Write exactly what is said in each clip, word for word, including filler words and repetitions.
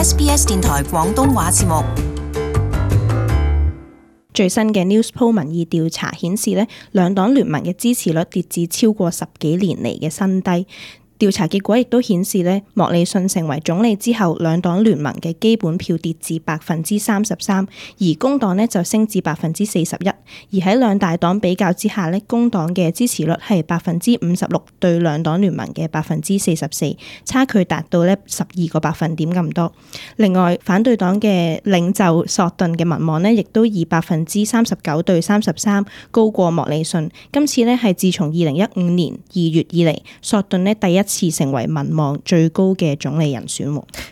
S B S 電台廣東話節目。最新嘅 Newspoll 民意調查顯示咧，兩黨聯盟嘅支持率跌至超過十幾年嚟嘅新低。調查結果亦都顯示咧，莫里遜成為總理之後，兩黨聯盟嘅基本票跌至百分之三十三，而工黨呢就升至百分之四十一。而喺兩大黨比較之下咧，工黨嘅支持率係百分之五十六對兩黨聯盟嘅百分之四十四，差距達到咧十二個百分點咁多。另外，反對黨嘅領袖索頓嘅民望呢，亦都以百分之三十九對三十三高過莫里遜。今次呢係自從二零一五年二月以嚟，索頓呢第一次成為民望最高嘅總理人選。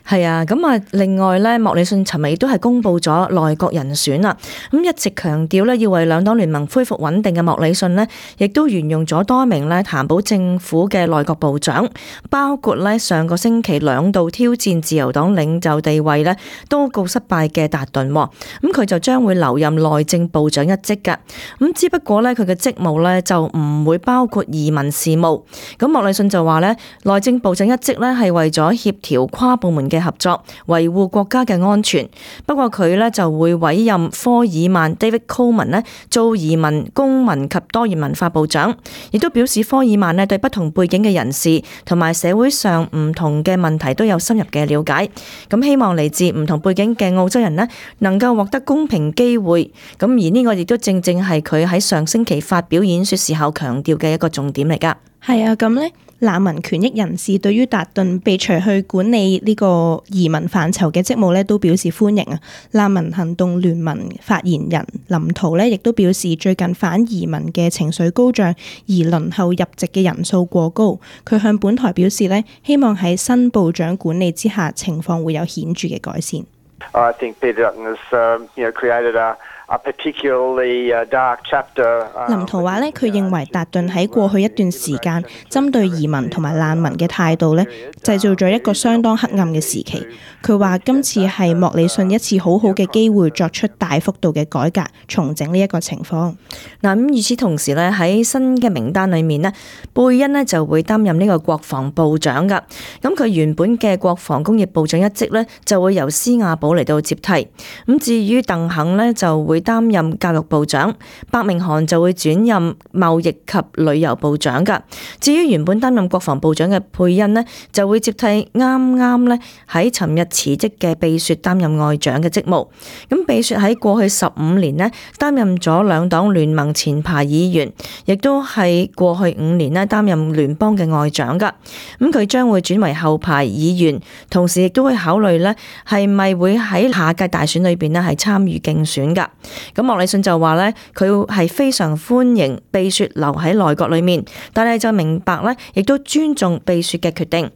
係啊，咁啊，另外咧，莫里遜尋日亦都係公布咗內閣人選啦。咁一直強調咧，要為兩黨聯盟恢復穩定嘅莫里遜呢，亦都沿用咗多名咧談保政府嘅內閣部長，包括咧上個星期兩度挑戰自由黨領袖地位咧都告失敗嘅達頓。咁佢就將會留任內政部長一職㗎。咁只不過咧，佢嘅職務咧就唔會包括移民事務。咁莫里遜就話咧，內政部長一職咧係為咗協調跨部門嘅合作，維護國家嘅安全。不過佢咧就會委任科爾曼 David Coleman 咧做移民、公民及多元文化部長，亦都表示科爾曼咧對不同背景嘅人士同埋社會上唔同嘅問題都有深入嘅了解。咁希望嚟自唔同背景嘅澳洲人咧能夠獲得公平機會。咁而呢個亦都正正係佢喺上星期發表演說時候強調嘅一個重點嚟㗎。係啊，咁咧。難民權益人士對於達頓被除去管理呢個移民範疇嘅職務咧，都表示歡迎啊！難民行動聯盟發言人林圖咧，亦都表示最近反移民嘅情緒高漲，而輪候入籍嘅人數過高。佢向本台表示咧，希望喺新部長管理之下，情況會有顯著嘅改善。I think Peter Dutton has, uh, you know, created a A particularly dark chapter. 林圖話咧，佢認為達頓喺過去一段時間針對移民同埋難民嘅態度咧，製造咗一個相當黑暗嘅時期。佢話今次係莫里遜一次好好嘅機會，作出大幅度嘅改革，重整呢一個情況。嗱，咁與此同時咧，喺新嘅名單裏面咧，貝恩咧就會擔任呢個國防部長噶。咁佢原本嘅國防工業部長一職咧，就會由施亞寶嚟到接替。咁至於鄧肯咧，就會擔任教育部長，伯明翰就會轉任貿易及旅遊部長噶。至於原本擔任國防部長嘅佩恩呢，就會接替啱啱咧喺尋日辭職嘅貝雪擔任外長嘅職務。咁貝雪喺過去十五年呢，擔任咗兩黨聯盟前排議員，亦都係過去五年呢擔任聯邦嘅外長噶。咁佢將會轉為後排議員，同時亦都會考慮呢係咪會喺下屆大選裏邊呢係參與競選噶。咁莫里遜就話咧，佢係非常歡迎貝雪留喺內閣裏面，但係就明白咧，亦都尊重貝雪嘅決定。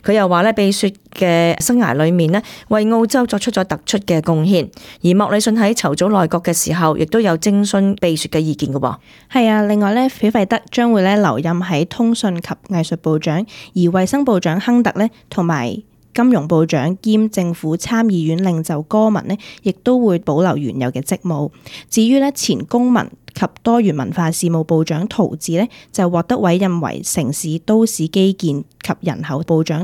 佢又話咧，貝雪嘅生涯裏面咧，為澳洲作出咗突出嘅貢獻。而莫里遜喺籌組內閣嘅時候，亦都有徵詢貝雪嘅意見嘅喎。係啊，另外咧，斐費德將會咧留任喺通訊及藝術部長，而衛生部長亨特咧同埋金融部長兼政府參議院領袖戈文呢，亦都會保留原有嘅職務。至於呢前公民及多元文化事務部長陶治呢，就獲得委任為城市都市基建及人口部長，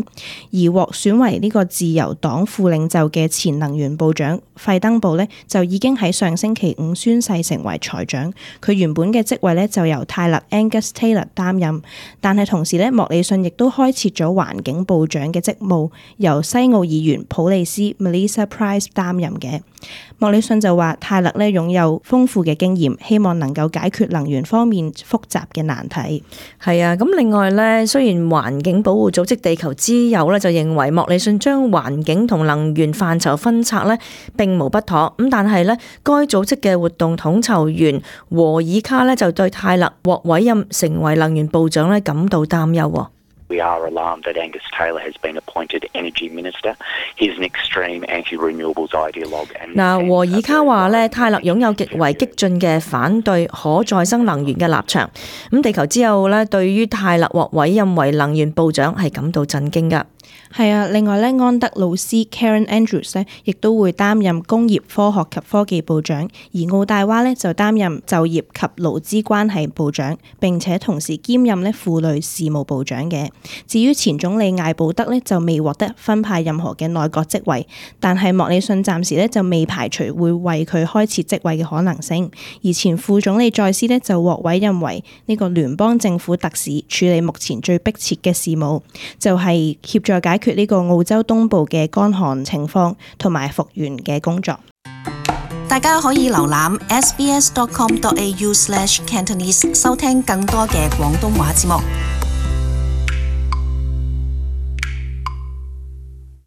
而獲選為呢個自由黨副領袖嘅前能源部長費登堡呢，就已經喺上星期五宣誓成為財長。佢原本嘅職位呢，就由泰勒 Angus Taylor 擔任，但係同時呢，莫里遜亦都開設咗環境部長嘅職務，由西澳議員普利斯 Melissa Price 擔任嘅。莫里遜就話泰勒呢擁有豐富嘅經驗，希望能夠解決能源方面複雜嘅難題。係啊，咁另外呢，雖然環境保護組織地球之友呢就認為莫里遜將環境同能源範疇分拆呢並無不妥，咁但係呢，該組織嘅活動統籌員和爾卡呢就對泰勒獲委任成為能源部長呢感到擔憂。We are alarmed that Angus Taylor has been appointed Energy Minister. He's an extreme anti-renewables ideologue. 嗱，和爾卡話咧，泰勒擁有極為激進嘅反對可再生能源嘅立場。咁地球之後咧，對於泰勒獲委任為能源部長係感到震驚㗎。係啊，另外咧，安德魯斯 Karen Andrews 咧，亦都會擔任工業科學及科技部長，而奧大娃咧就擔任就業及勞資關係部長，並且同時兼任咧婦女事務部長嘅。至於前總理艾布德咧，就未獲得分派任何嘅內閣職職位，但係莫里遜暫時咧就未排除會為佢開設職位嘅可能性。而前副總理再斯咧就獲委任為呢個聯邦政府特使，處理目前最迫切嘅事務，就係協助解決呢個澳洲東部嘅乾旱情況同埋復原嘅工作。大家可以瀏覽 s b s dot com dot a u slash cantonese 收聽更多嘅廣東話節目。